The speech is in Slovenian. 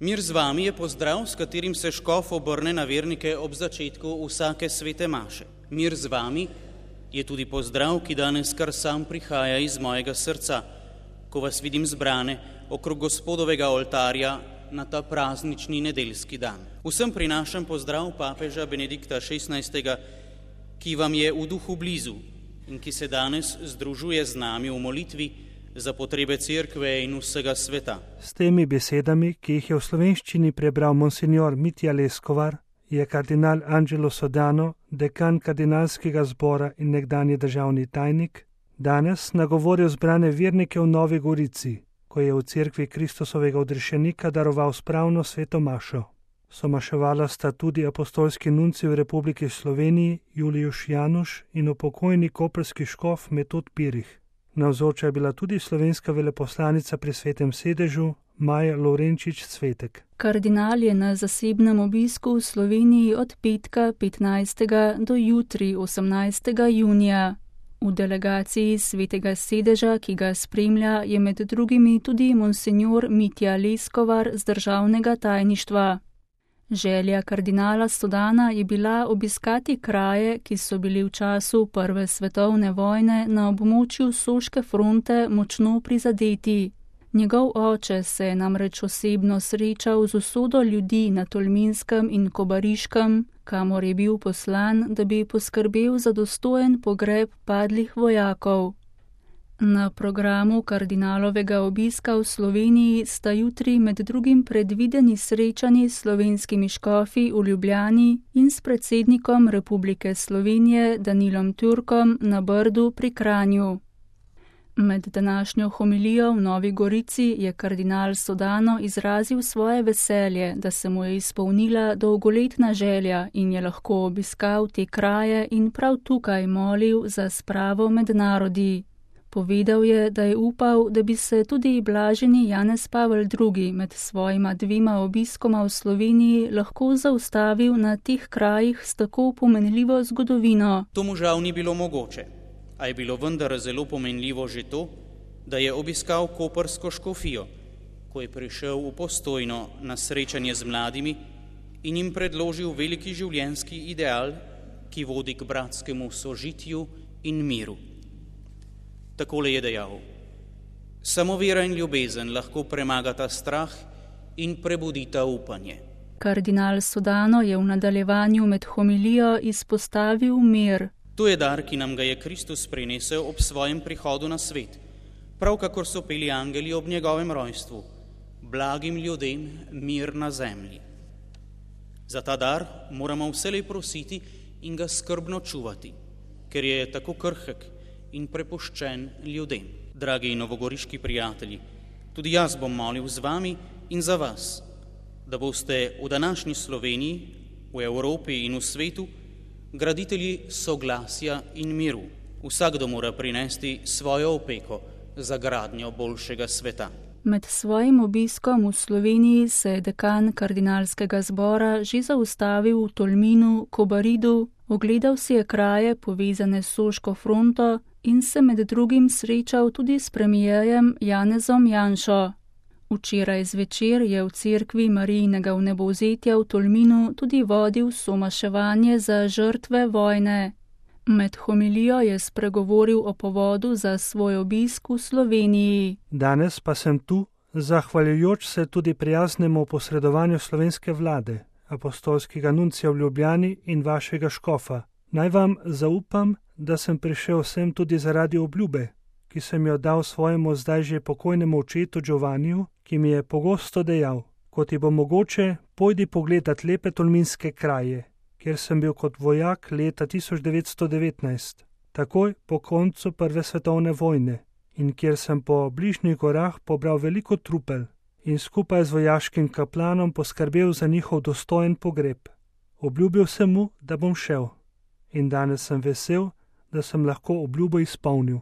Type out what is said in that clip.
Mir z vami je pozdrav, s katerim se škof obrne na vernike ob začetku vsake svete maše. Mir z vami je tudi pozdrav, ki danes kar sam prihaja iz mojega srca, ko vas vidim zbrane okrog Gospodovega oltarja na ta praznični nedeljski dan. Vsem prinašam pozdrav papeža Benedikta XVI, ki vam je v duhu blizu in ki se danes združuje z nami v molitvi za potrebe cerkve in vsega sveta. S temi besedami, ki jih je v slovenščini prebral monsignor Mitja Leskovar, je kardinal Angelo Sodano, dekan kardinalskega zbora in nekdanji državni tajnik, danes nagovoril zbrane vernike v Novi Gorici, ko je v cerkvi Kristusovega odrešenika daroval spravno sveto mašo. Somaševala sta tudi apostolski nuncij v Republiki Sloveniji Julijuš Januš in upokojeni koprski škof Metod Pirih. Navzoča je bila tudi slovenska veleposlanica pri Svetem sedežu Maja Lovrenčič Cvetek. Kardinal je na zasebnem obisku v Sloveniji od petka 15. do jutri 18. junija. V delegaciji Svetega sedeža, ki ga spremlja, je med drugimi tudi monsignor Mitja Leskovar z državnega tajništva. Želja kardinala Sodana je bila obiskati kraje, ki so bili v času Prve svetovne vojne na območju Soške fronte močno prizadeti. Njegov oče se je namreč osebno srečal z usodo ljudi na Tolminskem in Kobariškem, kamor je bil poslan, da bi poskrbel za dostojen pogreb padlih vojakov. Na programu kardinalovega obiska v Sloveniji sta jutri med drugim predvideni srečanji s slovenskimi škofi v Ljubljani in s predsednikom Republike Slovenije Danilom Türkom na Brdu pri Kranju. Med današnjo homilijo v Novi Gorici je kardinal Sodano izrazil svoje veselje, da se mu je izpolnila dolgoletna želja in je lahko obiskal te kraje in prav tukaj molil za spravo med narodi. Povedal je, da je upal, da bi se tudi blaženi Janez Pavel II. Med svojima dvema obiskoma v Sloveniji lahko zaustavil na teh krajih s tako pomenljivo zgodovino. To mu žal ni bilo mogoče, a je bilo vendar zelo pomenljivo že to, da je obiskal koprsko škofijo, ko je prišel v Postojno na srečanje z mladimi in jim predložil veliki življenjski ideal, ki vodi k bratskemu sožitju in miru. Takole je dejal: samo vera in ljubezen lahko premagata strah in prebudita upanje. Kardinal Sodano je v nadaljevanju med homilijo izpostavil mir. To je dar, ki nam ga je Kristus prinesel ob svojem prihodu na svet, prav kakor so peli angeli ob njegovem rojstvu: blagim ljudem mir na zemlji. Za ta dar moramo vselej prositi in ga skrbno čuvati, ker je tako krhek in prepuščen ljudem. Dragi novogoriški prijatelji, tudi jaz bom molil z vami in za vas, da boste v današnji Sloveniji, v Evropi in v svetu graditelji soglasja in miru. Vsakdo mora prinesti svojo opeko za gradnjo boljšega sveta. Med svojim obiskom v Sloveniji se je dekan kardinalskega zbora že zaustavil v Tolminu, Kobaridu, ogledal si je kraje povezane s Soško fronto in se med drugim srečal tudi s premijerjem Janezom Janšo. Včeraj zvečer je v cerkvi Marijinega vnebovzetja v Tolminu tudi vodil somaševanje za žrtve vojne. Med homilijo je spregovoril o povodu za svoj obisk v Sloveniji. Danes pa sem tu, zahvaljujoč se tudi prijaznemu posredovanju slovenske vlade, apostolskega nuncija v Ljubljani in vašega škofa. Naj vam zaupam, da sem prišel sem tudi zaradi obljube, ki sem jo dal svojemu zdaj že pokojnemu očetu Giovanniju, ki mi je pogosto dejal: ko ti bo mogoče, pojdi pogledat lepe tolminske kraje, kjer sem bil kot vojak leta 1919, takoj po koncu Prve svetovne vojne, in kjer sem po bližnjih gorah pobral veliko trupel in skupaj z vojaškim kaplanom poskrbel za njihov dostojen pogreb. Obljubil sem mu, da bom šel, in danes sem vesel, da sem lahko obljubo izpolnil.